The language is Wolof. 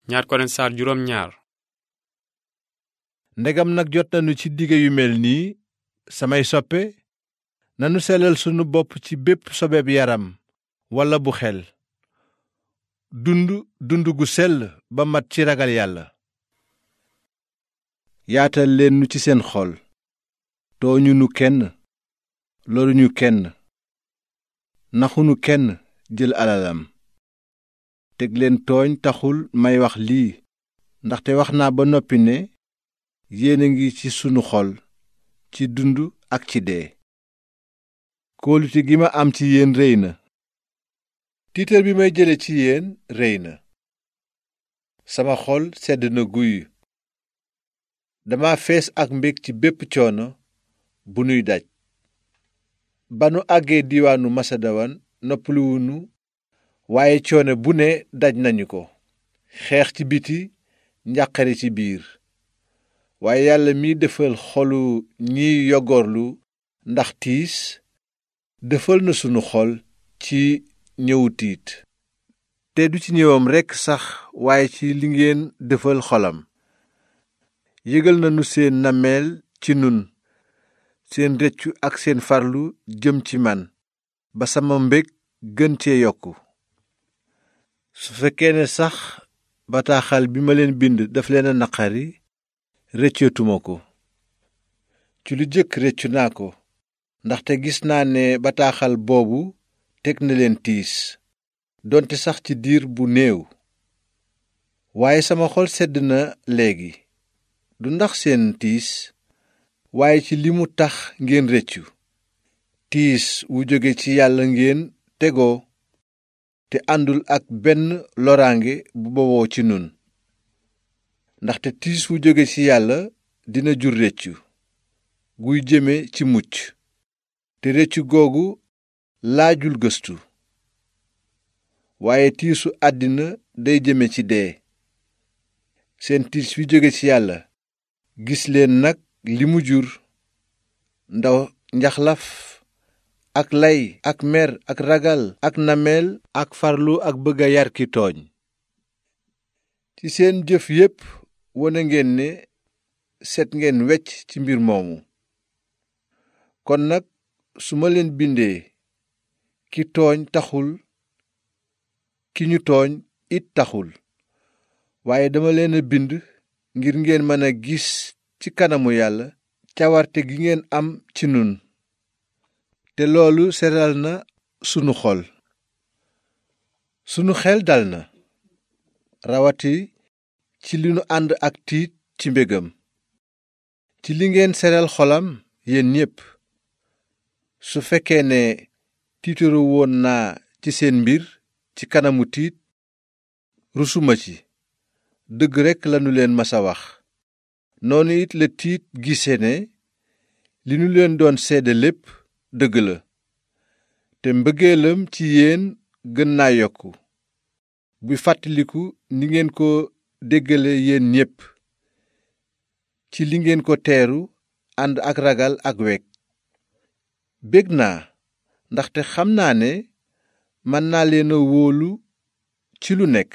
ñaar Korent saar juróom ñaar. ndegam nag jot nañu ci dige yu mel nii samay soppe nanu sellal sunu bopp ci bépp sobeb yaram walla bu xel dund gu sell ba mat ci ragal yàlla. yaatal leen nu ci seen xol tooñunu kenn loruñu kenn naxunu kenn jël alalam. teg leen tooñ taxul may wax lii ndaxte wax naa ba noppi ne yéen a ngi ci sunu xol ci dund ak ci dee. kóolute gi ma am ci yéen réy na tiitar bi may jële ci yéen réy na. sama xol sedd na guy dama fees ak mbég ci bépp coono bu nuy daj. ba nu àggee diiwaanu masedowan noppaluwunu waaye coono bu ne daj nañu ko xeex ci biti njàqare ci biir. waaye yàlla mi defal xolu ñiy yogorlu ndax tiis defal na sunu xol ci ñëwu tiit. te du ci ñëwam rekk sax waaye ci li ngeen defal xolam. yëgal nanu seen nammeel ci nun seen rëccu ak seen farlu jëm ci man ba sama mbég gën cee yokku. su fekkee ne sax bataaxal bi ma leen bind daf leen a naqari rëccootuma ko. ci lu jëkk rëccu naa ko ndaxte gis naa ne bataaxal boobu teg na leen tiis donte sax ci diir bu néew. waaye sama xol sedd na léegi du ndax seen tiis waaye ci li mu tax ngeen rëccu. tiis wu jóge ci yàlla ngeen tegoo te àndul ak benn loraange bu bawoo ci nun. ndaxte tiis wu jóge ci yàlla dina jur rëccu guy jëme ci mucc te rëccu googu laajul gëstu. waaye tiisu àddina day jëme ci dee. seen tiis wi jóge ci yàlla gis leen nag li mu jur ndaw njaxlaf ak lay ak mer ak ragal ak nameel ak farlu ak bëgg a yar ki tooñ. ci seen jëf yépp wone ngeen ne set ngeen wecc ci mbir moomu. kon nag su ma leen bindee ki tooñ taxul ki ñu tooñ it taxul waaye dama leen a bind ngir ngeen mën a gis ci kanamu yàlla cawarte gi ngeen am ci nun te loolu seral na sunu xol. sunu xel dal na rawati ci li nu ànd ak tiit ci mbégam ci li ngeen seral xolam yéen ñépp. su fekkee ne tiitaru woon naa ci seen mbir ci kanamu tiit rusuma ci dëgg rekk lanu leen masa wax. noonu it la tiit gise ne li nu leen doon seede lépp dëgg la te mbëggeelam ci yéen gën naa yokku buy fàttaliku ni ngeen ko déggale yéen ñépp ci li ngeen ko teeru ànd ak ragal ak weg. bég naa ndaxte xam naa ne mën naa leen a wóolu ci lu nekk